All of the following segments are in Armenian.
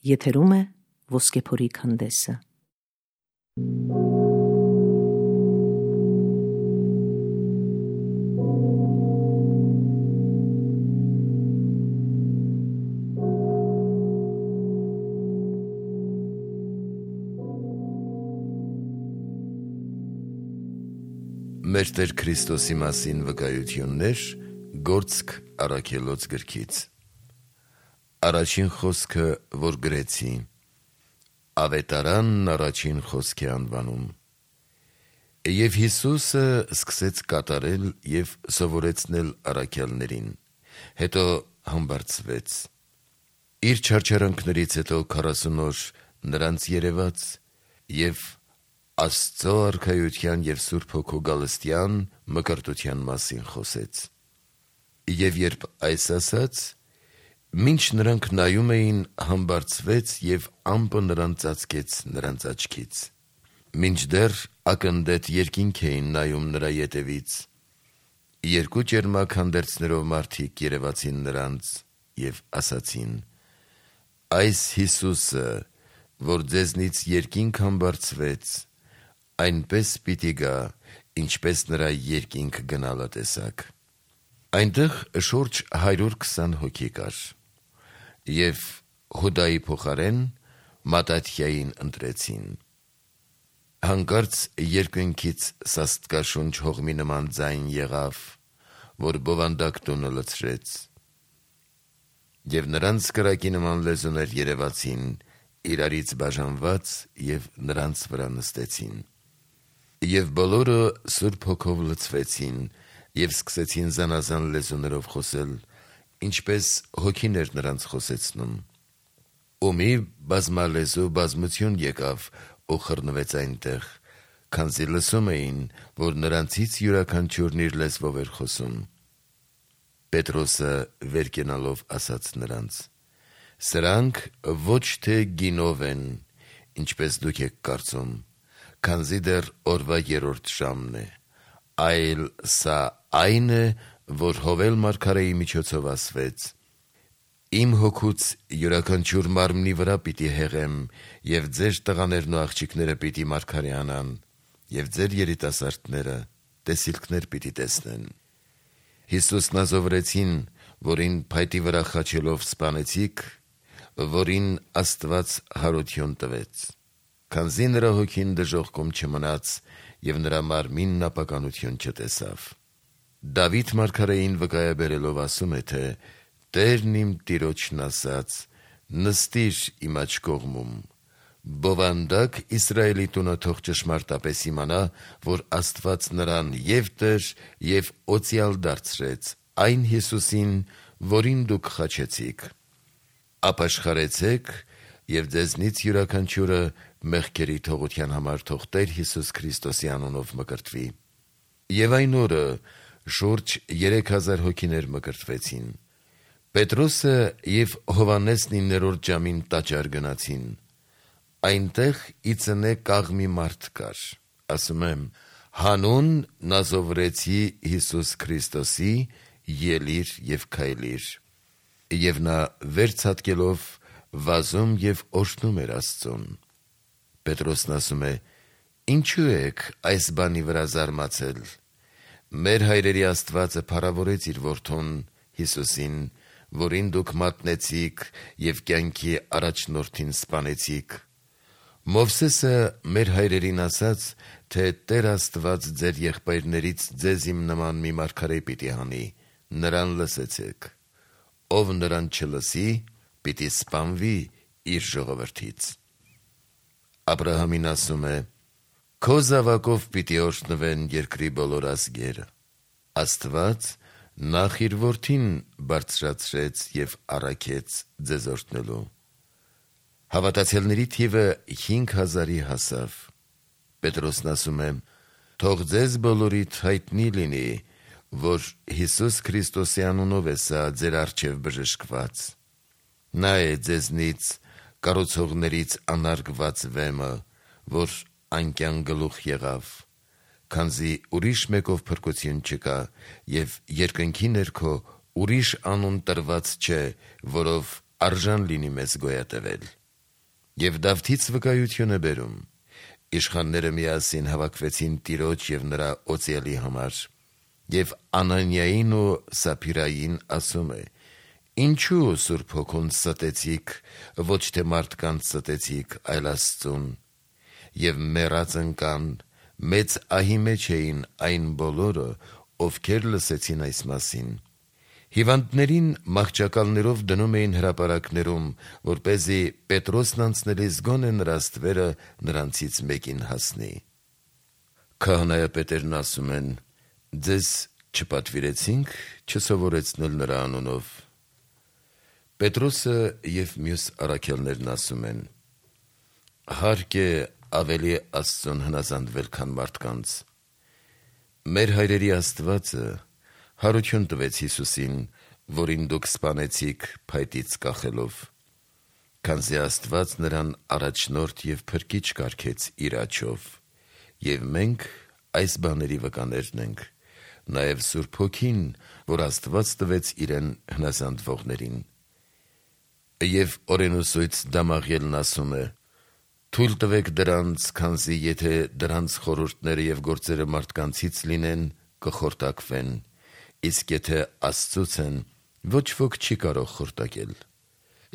Եթերում է Ոսկեփորի քանդեսը։ Մեր Տեր Քրիստոսի մասին վկայություններ Գործք առաքելոց գրքից։ Առաջին խոսքը, որ գրեցի, Ավետարանն առաջին խոսք է անվանում։ Եվ Հիսուսը սկսեց կատարել և սովորեցնել առաքյալներին, հետո համբարձվեց։ Իր չարչարանքներից հետո 40 օր նրանց երևաց և Աստծո արքայության և Սուրբ Հոգու գալստյան մկրտության մասին խոսեց։ Եվ երբ այս ասաց, մինչ նրանք նայում էին, համբարձվեց և ամպը նրան ծածկեց նրանց աչքից։ Մինչդեռ ակնդետ երկինք էին նայում նրա ետևից, երկու ճերմակ հանդերձներով մարդիկ երևացին նրանց և ասացին. «Այս Հիսուսը, որ ձեզնից երկինք համբարձվեց, այնպես պիտի գա, ինչպես նրա երկինք գնալը տեսաք»։ Այնտեղ շուրջ 120 հոգի կար, և Հուդայի փոխարեն Մատաթիային ընտրեցին։ Հանկարծ երկնքից սաստկաշունչ հողմի նման ձայն եղավ, որ բովանդակ տունը լցրեց, և նրանց կրակի նման լեզուներ երևացին, իրարից բաժանված և նրանց վրա նստեցին։ Եվ բոլորը Սուրբ Հոգով լցվեցին և սկսեցին զանազան լեզուներով խոսել, ինչպես Հոգին էր նրանց խոսեցնում։ Ու մի բազմալեզու բազմություն եկավ ու խռնվեց այնտեղ, քանզի լսում էին, որ նրանցից յուրաքանչյուրն իր լեզվով էր խոսում։ Պետրոսը վեր կենալով ասաց նրանց. «Սրանք ոչ թե գինով են, ինչպես դուք եք կարծում, քանզի դեռ օրվա 3-րդ ժամն է, այլ սա այն է, որ Հովել մարգարեի միջոցով ասվեց. «Իմ հոգուց յուրաքանչյուր մարմնի վրա պիտի հեղեմ, և ձեր տղաներն ու աղջիկները պիտի մարգարեանան, և ձեր երիտասարդները տեսիլքներ պիտի տեսնեն»։ Հիսուսն ազովրեցին, որին փայտի վրա խաչելով սպանեցիք, որին Աստված հարություն տվեց, քանզի նրա հոգին դժոխքում չմնաց, և նրա մարմինն ապականություն չտեսավ։ Դավիթ մարգարեին վկայաբերելով ասում է, թե «Տերն իմ Տիրոջն ասաց. նստիր իմ աջ կողմում, բովանդակ Իսրայելի տունը թող ճշմարտապես իմանա, որ Աստված նրան և Տեր և օծյալ դարձրեց, այն Հիսուսին, որին դուք խաչեցիք։ Ապաշխարեցեք, և ձեզնից յուրաքանչյուրը մեղքերի թողության համար թող Տեր Հիսուս Քրիստոսի անունով մկրտվի»։ Եվ այն օրը շուրջ 3000 հոգիներ մկրտվեցին։ Պետրոսը և Հովհաննեսն 9-րդ ժամին տաճար գնացին։ Այնտեղ ի ծնե կաղմի մարդ կար, ասում եմ, հանուն Նազովրեցի Հիսուս Քրիստոսի, ելիր և քայլիր։ Եվ նա վեր ցատկելով վազում և օրհնում էր Աստծուն։ Պետրոսն ասում է. «Ինչու եք այս բանի վրա զարմացել։ Մեր հայրերի Աստվածը փառավորեց իր որդուն Հիսուսին, որին դուք մատնեցիք և կյանքի առաջնորդին սպանեցիք։ Մովսեսը մեր հայրերին ասաց, թե Տեր Աստված ձեր եղբայրներից ձեզ իմ նման մի մարգարե պիտի հանի, նրան լսեցեք։ Ով նրան չլսի, պիտի սպանվի իր ժողովրդից»։ Աբրահամին ասում է. «Քո զավակով պիտի օրհնվեն երկրի բոլոր ազգերը»։ Աստված նախ իր որդին բարձրացրեց և առաքեց ձեզ օրհնելու։ Հավատացյալների թիվը 5000-ի հասավ։ Պետրոսն ասում է. «Թող ձեզ բոլորիդ հայտնի լինի, որ Հիսուս Քրիստոսի անունով է սա ձեր առջև բժշկված։ Նա է ձեզնից կառուցողներից անարգված վեմը, որ անկյան գլուխ եղավ, քանզի ուրիշ մեկով փրկություն չկա, և երկնքի ներքո ուրիշ անուն տրված չէ, որով արժան լինի մեզ գոյատևել»։ Եվ Դավթից վկայություն է բերում. իշխանները միասին հավաքվեցին Տիրոջ և նրա օծյալի համար, և Անանիային ու Սափիրային ասում է. ինչու Սուրբ Հոգուն ստեցիք, ոչ թե մարդկանց ստեցիք, այլ Աստծուն, և մեռած ընկան, մեծ ահի մեջ էին այն բոլորը, ովքեր լսեցին այս մասին։ Հիվանդներին մահճակալներով դնում էին հրապարակներում, որպեսզի Պետրոսն անցնելիս գոնե նրա ստվերը նրանցից մեկին հասնի։ Քահանայապետերն ասում են. ձեզ չպատվիրեցինք չսովորեցնել նրա անունով։ Պետրոսը և մյուս առաքյալներն ասում են. հարկ է ավելի Աստծուն հնազանդվել, քան մարդկանց։ Մեր հայրերի Աստվածը հարություն տվեց Հիսուսին, որին դուք սպանեցիք փայտից կախելով, քանզի Աստված նրան առաջնորդ և փրկիչ կարգեց իր աջով, և մենք այս բաների վկաներն ենք, նաև Սուրբ Հոգին, որ Աստված տվեց իրեն հնազանդվողներին։ Եվ օրենուսույց Դամաղելն ասում է. թույլ տվեք դրանց, քանզի եթե դրանց խորհուրդները և գործերը մարդկանցից լինեն, կխորտակվեն, իսկ եթե Աստծուց են, ոչ ոք չի կարող խորտակել։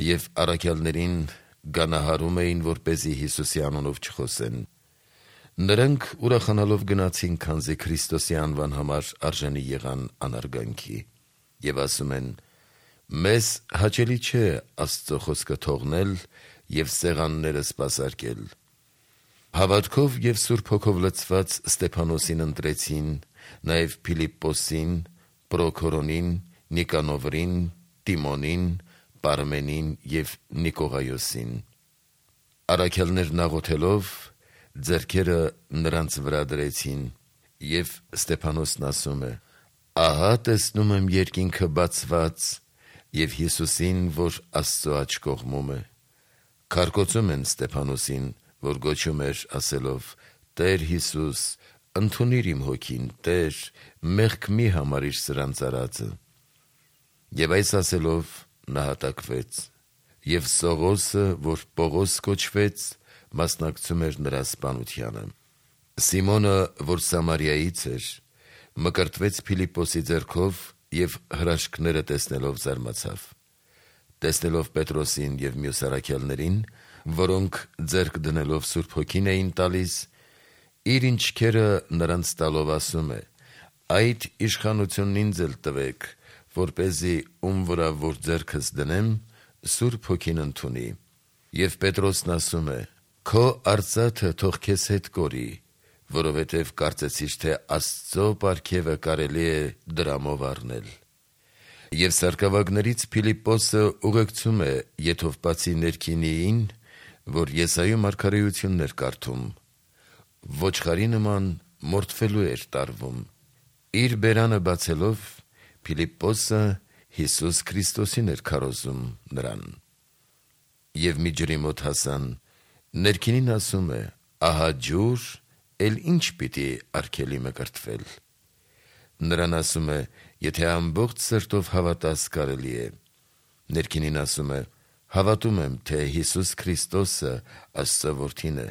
Եվ առաքյալներին գանահարում էին, որպեսզի Հիսուսի անունով չխոսեն։ Նրանք ուրախանալով գնացին, քանզի Քրիստոսի անվան համար արժանի եղան անարգանքի, և ասում են. մեզ հաճելի չէ Աստծո խոսքը թողնել և սեղանները սպասարկել։ Հավատքով և Սուրբ Հոգով լցված Ստեփանոսին ընտրեցին, նաև Փիլիպպոսին, Պրոքորոնին, Նիկանովրին, Տիմոնին, Պարմենին և Նիկողայոսին։ Առաքյալներն աղոթելով ձեռքերը նրանց վրա դրեցին, և Ստեփանոսն ասում է. ահա տեսնում եմ երկինքը բացված և Հիսուսին, որ Աստծո աջ կողմում է։ Քարկոծում են Ստեփանոսին, որ գոչում էր ասելով. Տեր Հիսուս, ընդունիր իմ հոգին, Տեր, մեղք մի համարիր սրանց արածը։ Եվ այս ասելով նա հատակվեց, և Սողոսը, որ Պողոս կոչվեց, մասնակցում էր նրա սպանությանը։ Սիմոնը, որ Սամարիայից էր, մկրտվեց Փիլիպպոսի ձեռքով և հրաշքները տեսնելով զարմացավ։ Տեսնելով Պետրոսին և մյուս առաքյալներին, որոնք ձեռք դնելով Սուրբ Հոգին էին տալիս, իր ինչքերը նրանց տալով ասում է. այդ իշխանությունն ինձ էլ տվեք, որպեսզի ում վրա որ ձեռքս դնեմ, Սուրբ Հոգին ընդունի։ Եվ Պետրոսն ասում է. քո արծաթը թող քեզ հետ կորի, որովհետև կարծեցիր, թե Աստծո պարգևը կարելի է դրամով առնել։ Եվ սարկավագներից Փիլիպպոսը ուղեկցում է Եթովպացի Ներքինիին, որ Եսայի մարգարեությունն էր կարդում, ոչխարի նման մորթվելու էր տարվում։ Իր բերանը բացելով, Փիլիպպոսը Հիսուս Քրիստոսին էր քարոզում նրան։ Եվ մի ջրի մոտ հասան, Ներքինին ասում է. ահա ջուր, էլ ինչ պիտի արգելի մկրտվել։ Նրան ասում է. եթե ամբողջ սրտով հավատաս, կարելի է։ Ներքինին ասում է. հավատում եմ, թե Հիսուս Քրիստոսը Աստծո որդին է։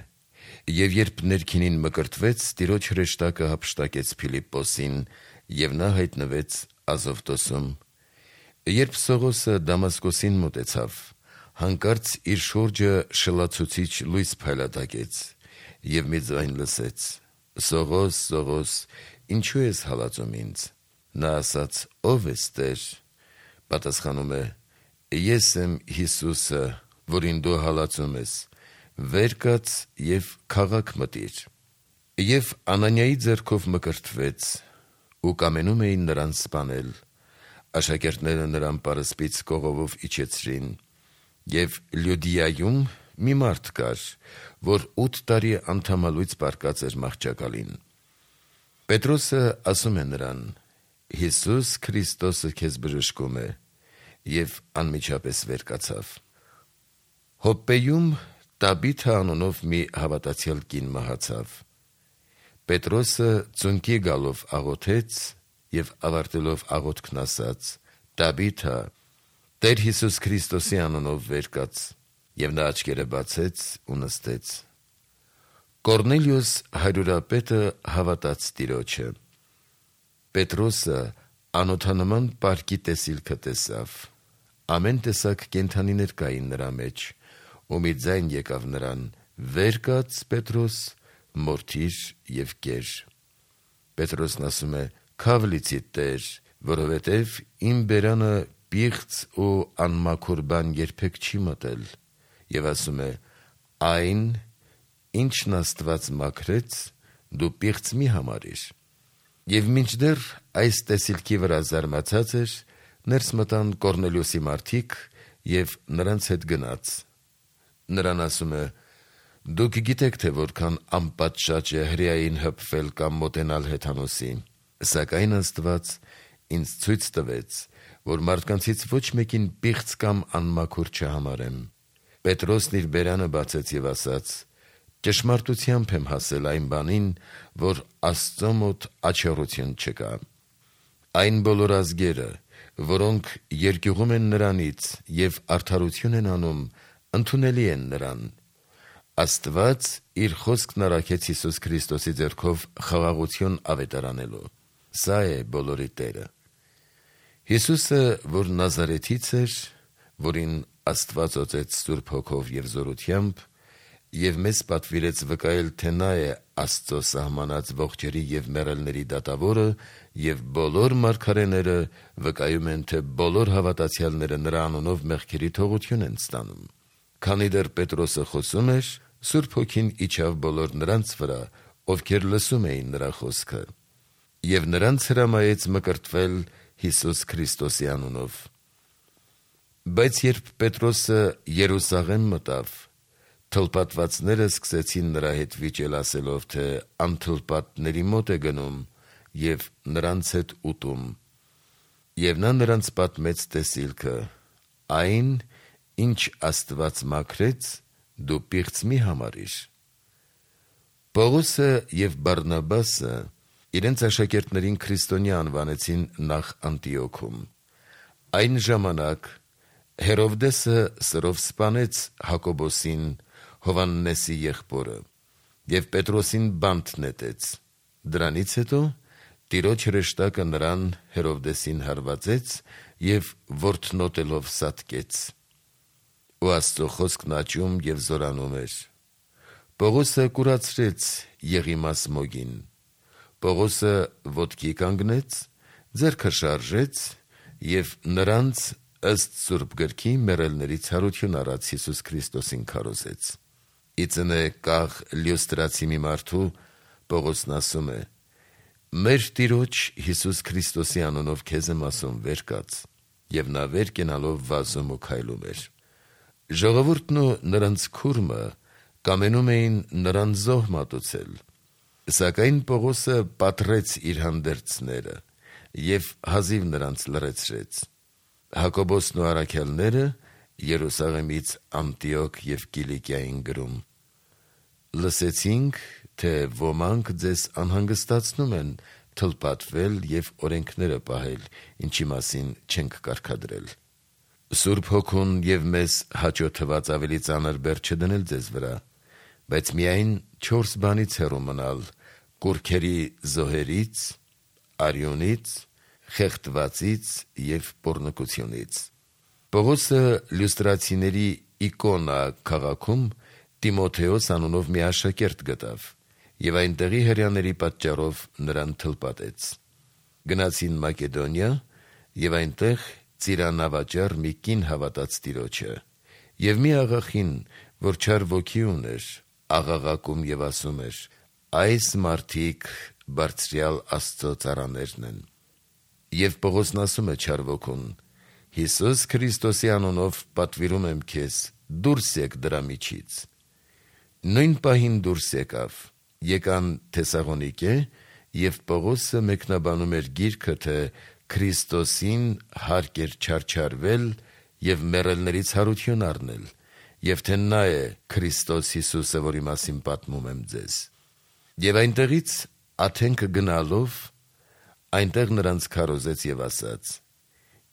Եվ երբ Ներքինին մկրտվեց, Տիրոջ հրեշտակը հափշտակեց Փիլիպպոսին, և նա հայտնվեց Ազովտոսում։ Երբ Սողոսը Դամասկոսին մոտեցավ, հանկարծ իր շուրջը շլացուցիչ լույս փայլատակեց, և մի ձայն լսեց. Սողոս, Սողոս, ինչու ես հալածում ինձ։ Նա ասաց. ով ես, Տեր։ Պատասխանում է. ես եմ Հիսուսը, որին դու հալածում ես, վեր կաց և քաղաք մտիր։ Եվ Անանիայի ձեռքով մկրտվեց, ու կամենում էին նրան սպանել։ Աշակերտները նրան պարսպից կողովով իջեցրին։ Եվ Լյուդիայում մի մարդ կար, որ 8 տարի անդամալույծ պառկած էր մահճակալին։ Պետրոսը ասում է նրան. Հիսուս Քրիստոսը քեզ բժշկում է, և անմիջապես վեր կացավ։ Հոպպեում Տաբիթա անունով մի հավատացյալ կին մահացավ։ Պետրոսը ծունկի գալով աղոթեց և ավարտելով աղոթքն ասաց. Տաբիթա, Տեր Հիսուս Քրիստոսի անունով վեր կաց։ Եվ նա աչքերը բացեց ու նստեց։ Կորնելիոս հարյուրապետը հավատաց Տիրոջը։ Պետրոսը անօթանման պարկի տեսիլքը տեսավ։ Ամեն տեսակ կենդանիներ կային նրա մեջ, ու մի ձայն եկավ նրան. «Վեր կաց, Պետրոս, մորթիր և կեր»։ Պետրոսն ասում է. «Քավ լիցիդ Տեր, որովհետև իմ բերանը պիղծ ու անմաքուր բան երբեք չի մտել»։ Եվ ասում է. «Այն, ինչն Աստված մաքրեց, դու պիղծ մի համարիր»։ Եվ մինչդեռ այս տեսիլքի վրա զարմացած էր, ներս մտան Կորնելիոսի մարդիկ և նրանց հետ գնաց։ Նրան ասում է. «Դուք գիտեք, թե որքան անպատշաճ է հրեային հպվել կամ մոտենալ հեթանոսի, սակայն Աստված ինձ ցույց տվեց, որ մարդկանցից ոչ մեկին պիղծ կամ անմաքուր չհամարեմ»։ Պետրոսն իր բերանը բացեց և ասաց. «Ճշմարտությամբ եմ հասել այն բանին, որ Աստծո մոտ աջողություն չկա։ Այն բոլոր ազգերը, որոնք երկյուղում են նրանից և արդարություն են անում, ընդունելի են նրան։ Աստված իր խոսքն առաքեց Հիսուս Քրիստոսի ձեռքով խաղաղություն ավետարանելու։ Սա է բոլորի Տերը»։ Հիսուսը, որ Նազարեթից էր, որին Աստված օծեց Սուրբ Հոգով և զորությամբ, և մեզ պատվիրեց վկայել, թե նա է Աստծո սահմանած ողջերի և մեռելների դատավորը, և բոլոր մարգարեները վկայում են, թե բոլոր հավատացյալները նրա անունով մեղքերի թողություն են ստանում։ Քանի դեռ Պետրոսը խոսում էր, Սուրբ Հոգին իջավ բոլոր նրանց վրա, ովքեր լսում էին նրա խոսքը, և նրանց հրամայեց մկրտվել Հիսուս Քրիստոսի անունով։ Բայց երբ Պետրոսը Երուսաղեմ մտավ, թլպատվածները սկսեցին նրա հետ վիճել, ասելով, թե անթլպատների մոտ է գնում և նրանց հետ ուտում։ Եվ նա նրանց պատմեց տեսիլքը. «Այն, ինչ Աստված մաքրեց, դու պիղծ մի համարիր»։ Պողոսը և Բարնաբասը իրենց աշակերտներին քրիստոնյա անվանեցին նախ Անտիոքում։ Այն ժամանակ Հերովդեսը սրով սպանեց Հակոբոսին, Հովհաննեսի եղբորը, և Պետրոսին բանտ նետեց։ Դրանից հետո Տիրոջ հրեշտակը նրան Հերովդեսին հարվածեց և որթնոտելով սատկեց։ Ու Աստծո խոսքն աճում և զորանում էր։ Պողոսը կուրացրեց Եղիմաս մոգին։ Պողոսը ոտքի կանգնեց, ձեռքը շարժեց և նրանց ըստ Սուրբ Գրքի մեռելների ցարություն առած Հիսուս Քրիստոսին քարոզեց։ Ի ծնե կաղ Լյոստրացի մի մարդու Պողոսն ասում է. «Մեր Տիրոջ Հիսուս Քրիստոսի անունով քեզ եմ ասում, վեր կաց», և նա վեր կենալով վազում ու քայլում էր։ Ժողովուրդն ու նրանց քուրմը կամենում էին նրան զոհ մատուցել, սակայն Պողոսը պատռեց իր հանդերձները և հազիվ նրանց լռեցրեց։ Հակոբոսն ու առաքյալները Երուսաղեմից Անտիոք և Կիլիկիա էին գրում. «Լսեցինք, թե ոմանք ձեզ անհանգստացնում են թլպատվել և օրենքները պահել, ինչի մասին չենք կարգադրել։ Սուրբ Հոգուն և մեզ հաճո թված ավելի ծանր բեռ չդնել ձեզ վրա, բայց միայն 4 բանից հեռու մնալ՝ կուռքերի զոհերից, արյունից, խեղդվածից և պոռնկությունից»։ Պողոսը Լյուստրացիների Իկոնա քաղաքում Տիմոթեոս անունով մի աշակերտ գտավ և այնտեղի հրեաների պատճառով նրան թլպատեց։ Գնացին Մակեդոնիա և այնտեղ ծիրանավաճառ մի կին հավատաց Տիրոջը, և մի աղախին, որ չար ոգի ուներ, աղաղակում և ասում էր. «Այս մարդիկ բարձրյալ Աստծո ծառաներն են»։ Եվ Պողոսն ասում է չար ոգուն. «Հիսուս Քրիստոսի անունով պատվիրում եմ քեզ, դուրս եկ դրա միջից»։ Նույն պահին դուրս եկավ։ Եկան Թեսաղոնիկե, և Պողոսը մեկնաբանում էր գիրքը, թե Քրիստոսին հարկ էր չարչարվել և մեռելներից հարություն առնել, և թե նա է Քրիստոս Հիսուսը, որի մասին պատմում եմ ձեզ։ Եվ այնտեղից Աթենքը գնալով, այնտեղ նրանց քարոզեց և ասաց.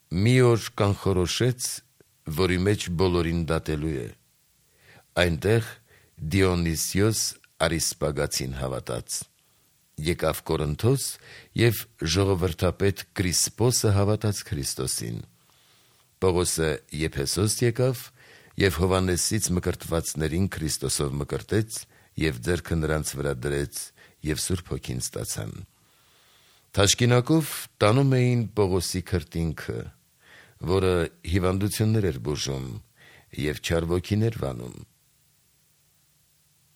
«Մի օր կանխորոշեց, որի մեջ բոլորին դատելու է, Այնտեղ Դիոնիսիոս Արիսպագացին հավատաց։ Եկավ Կորինթոս և ժողովրդապետ Կրիսպոսը հավատաց Քրիստոսին։ Պողոսը Եփեսոս եկավ և Հովհաննեսից մկրտվածներին Քրիստոսով մկրտեց և ձեռքը նրանց վրա դրեց և Սուրբ Հոգին ստացան։ Թաշկինակով տանում էին Պողոսի քրտինքը, որը հիվանդություններ էր բուժում և չար ոգիներ վանում։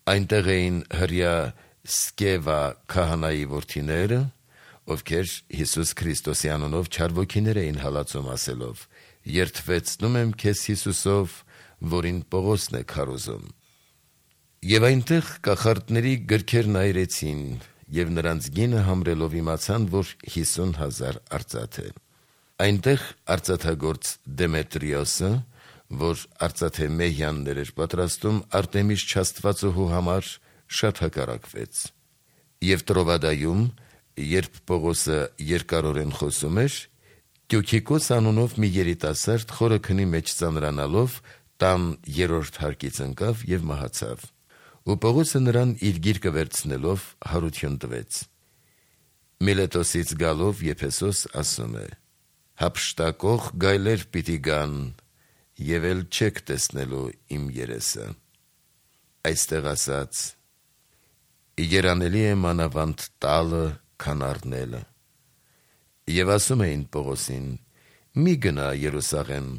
Այնտեղ էին հրեա Սկևա քահանայի որդիները, ովքեր Հիսուս Քրիստոսի անունով չար ոգիներ էին հալածում ասելով. «Երդվեցնում եմ քեզ Հիսուսով, որին Պողոսն է քարոզում»։ Եվ այնտեղ կախարդների գրքերն այրեցին և նրանց գինը համրելով իմացան, որ 50,000 արծաթ է։ Այնտեղ արծաթագործ Դեմետրիոսը, որ արծաթե մեհյաններ էր պատրաստում Արտեմիս չաստվածուհու համար, շատ հակառակվեց։ Եվ Տրովադայում, երբ Պողոսը երկարորեն խոսում էր, Տյուքիկոս անունով մի երիտասարդ խորը քնի մեջ ծանրանալով տան 3-րդ հարկից ընկավ և մահացավ։ Ու Պողոսը նրան իր գիրկը վերցնելով հարություն տվեց։ Միլետոսից գալով Եփեսոս ասում է. «Հափշտակող գայլեր պիտի գան, և էլ չեք տեսնելու իմ երեսը»։ Այստեղ ասած. «Երանելի է մանավանդ տալը, քան առնելը»։ Եվ ասում էին Պողոսին. «Մի գնա Երուսաղեմ,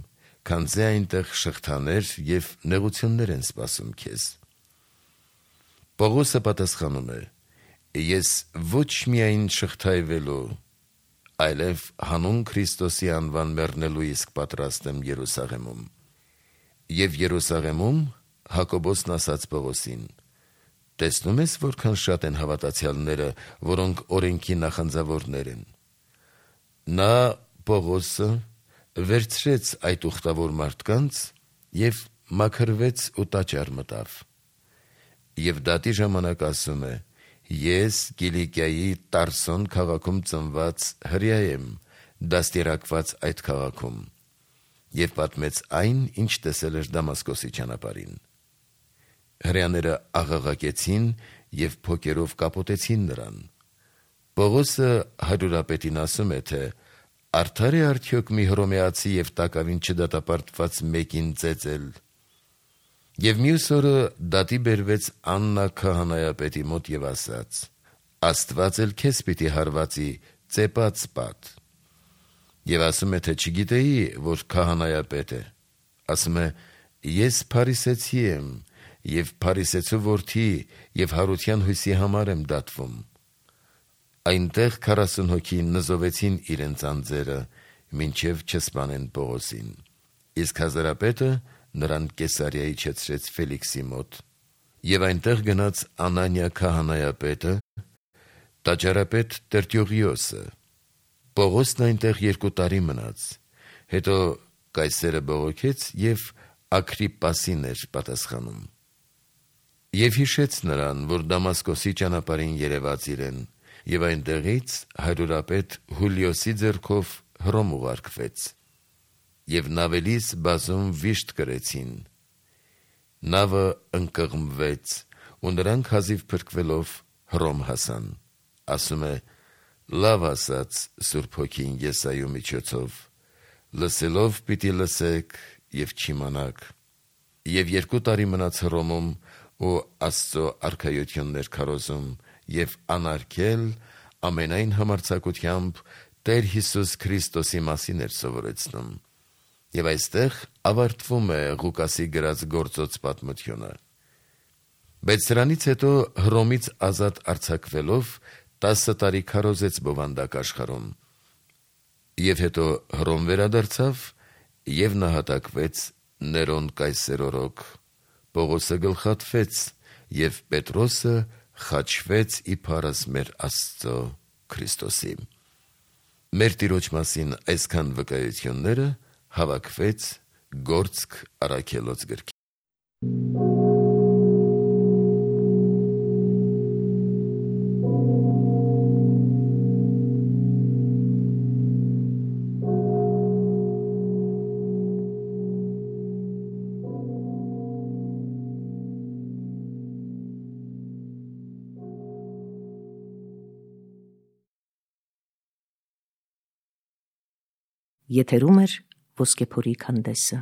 քանզի այնտեղ շղթաներ և նեղություններ են սպասում քեզ»։ Պողոսը պատասխանում է. «Ես ոչ միայն շղթայվելու, այլև հանուն Քրիստոսի անվան մեռնելու իսկ պատրաստ եմ Երուսաղեմում»։ Եվ Երուսաղեմում Հակոբոսն ասաց Պողոսին. «Տեսնում ես որքան շատ են հավատացյալները, որոնք օրենքի նախանձավորներ են»։ Նա Պողոսը վերցրեց այդ ուխտավոր մարդկանց և մաքրվեց ու տաճար մտավ։ Եվ դատի ժամանակ ասում է. «Ես Կիլիկիայի Տարսոն քաղաքում ծնված հրեա եմ, դաստիարակված այդ քաղաքում»։ Եվ պատմեց այն, ինչ տեսել էր Դամասկոսի ճանապարհին։ Հրեաները աղաղակեցին և փոկերով կապոտեցին նրան։ Պողոսը հարյուրապետին ասում է, թե արդա՞ր է արդյոք մի հռոմեացի և տակավին չդատապարտված մեկին ծեծել։ Եվ մյուս օրը դատի բերվեց Աննա քահանայապետի մոտ և ասաց. «Աստված էլ քեզ պիտի հարվածի ծեպած պատ»։ Եվ ասում է, թե չգիտեի, որ քահանայապետ է։ Ասում է. «Ես փարիսեցի եմ և փարիսեցու որդի և Հարության հույսի համար եմ դատվում»։ Այնտեղ 40 հոգի նզովեցին իրենց անձերը, մինչև չսպանեն Պողոսին։ Իսկ հազարապետը նրան Կեսարիա իջեցրեց Ֆելիքսի մոտ։ Եվ այնտեղ գնաց Անանիա քահանայապետը, տաճարապետ Տերտիողիոսը։ Պողոսն այնտեղ 2 տարի մնաց։ Հետո կայսերը բողոքեց և Ագրիպպասին էր պատասխանում։ Եվ հիշեց նրան, որ Դամասկոսի ճանապարհին երևաց իրեն, և այնտեղից հարյուրապետ Հուլիոսի ձեռքով Հռոմ ուղարկվեց։ Եվ նավելիս բազում վիշտ կրեցին։ Նավը ընկղմվեց, ու նրանք հազիվ փրկվելով Հռոմ հասան։ Ասում է. «Լավ ասաց Սուրբ Հոգին Եսայու միջոցով. լսելով պիտի լսեք և չիմանաք»։ Եվ 2 տարի մնաց Հռոմում ու Աստծո արքայություններ քարոզում և անարգել ամենայն համարձակությամբ Տեր Հիսուս Քրիստոսի մասին էր սովորեցնում։ Եվ այստեղ ավարտվում է Ղուկասի գրած գործոց պատմությունը։ Բայց սրանից հետո Հռոմից ազատ արձակվելով 10 տարի քարոզեց բովանդակ աշխարհում։ Եվ հետո Հռոմ վերադարձավ և նահատակվեց Ներոն կայսեր օրոք։ Պողոսը գլխատվեց, և Պետրոսը խաչվեց իբարս մեր Աստծո Քրիստոսի։ Մեր Տիրոջ մասին այսքան վկայությունները հավաքվեց Գործք Առաքելոց գրքին։ Եթերում էր ոսկեփորի քանդեսը։